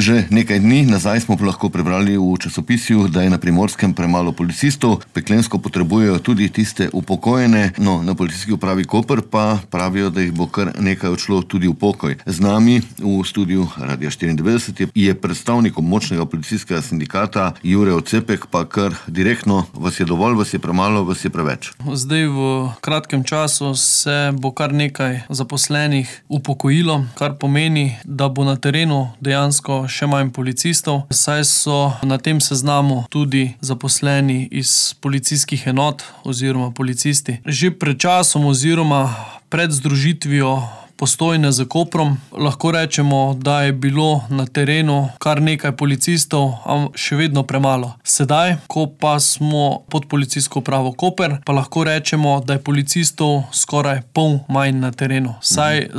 Že nekaj dni nazaj smo lahko prebrali v časopisju, da je na Primorskem premalo policistov, peklensko potrebujejo tudi tiste upokojene, no na policijski upravi Koper pa pravijo, da jih bo kar nekaj odšlo tudi v pokoj. Z nami v studiu Radia 94 je predstavnik območnega policijskega sindikata Jure Ocepek, pa kar direktno: vas je dovolj, vas je premalo, vas je preveč? Zdaj v kratkem času se bo kar nekaj zaposlenih upokojilo, kar pomeni, da bo na terenu dejansko še manj policistov, saj so na tem seznamu tudi zaposleni iz policijskih enot oziroma policisti. Že pred časom oziroma pred združitvijo Postojne z Koprom lahko rečemo, da je bilo na terenu kar nekaj policistov, a še vedno premalo. Sedaj, ko pa smo pod policijsko upravo Koper, pa lahko rečemo, da je policistov skoraj pol manj na terenu. Saj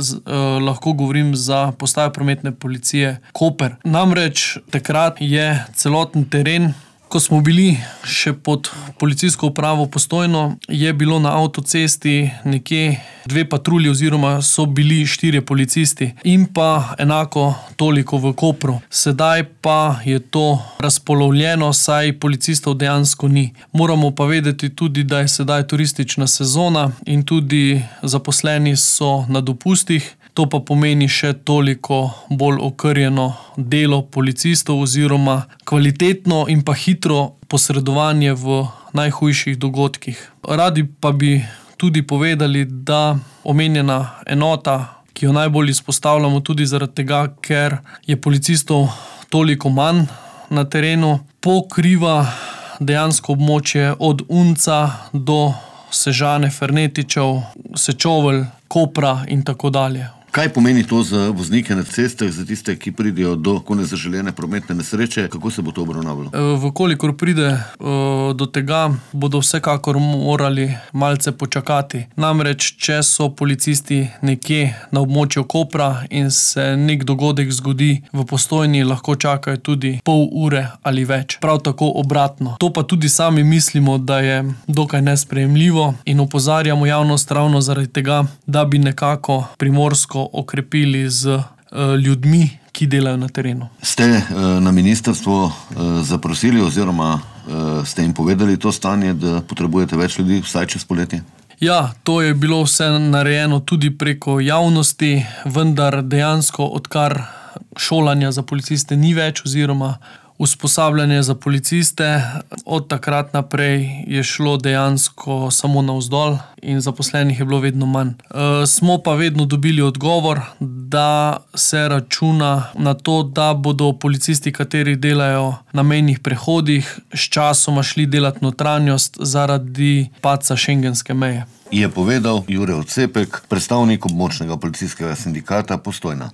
lahko govorim za postajo prometne policije Koper. Namreč takrat je celoten teren, ko smo bili še pod policijsko upravo Postojno, je bilo na avtocesti nekje 2 patrulji oziroma so bili 4 policisti in pa enako toliko v Kopru. Sedaj pa je to razpolovljeno, saj policistov dejansko ni. Moramo pa vedeti tudi, da je sedaj turistična sezona in tudi zaposleni so na dopustih. To pa pomeni še toliko bolj okrnjeno delo policistov oziroma kvalitetno in pa hitro posredovanje v najhujših dogodkih. Radi pa bi tudi povedali, da omenjena enota, ki jo najbolj izpostavljamo tudi zaradi tega, ker je policistov toliko manj na terenu, pokriva dejansko območje od Unca do Sežane, Fernetičev, Sečovelj, Kopra in tako dalje. Kaj pomeni to za voznike na cestah, za tiste, ki pridejo do nezaželene prometne nesreče? Kako se bo to obravnavalo? Vkolikor pride do tega, bodo vsekakor morali malce počakati. Namreč, če so policisti nekje na območju Kopra in se nek dogodek zgodi v Postojni, lahko čakajo tudi pol ure ali več. Prav tako obratno. To pa tudi sami mislimo, da je dokaj nesprejemljivo in opozarjamo javnost ravno zaradi tega, da bi nekako Primorsko okrepili z ljudmi, ki delajo na terenu. Ste na ministrstvu zaprosili oziroma ste jim povedali to stanje, da potrebujete več ljudi vsaj čez poletje? Ja, to je bilo vse narejeno tudi preko javnosti, vendar dejansko odkar šolanja za policiste ni več oziroma usposabljanje za policiste, od takrat naprej je šlo dejansko samo navzdol in zaposlenih je bilo vedno manj. Smo pa vedno dobili odgovor, da se računa na to, da bodo policisti, kateri delajo na mejnih prehodih, sčasoma šli delat notranjost zaradi padca šengenske meje. Je povedal Jure Ocepek, predstavnik območnega policijskega sindikata Postojna.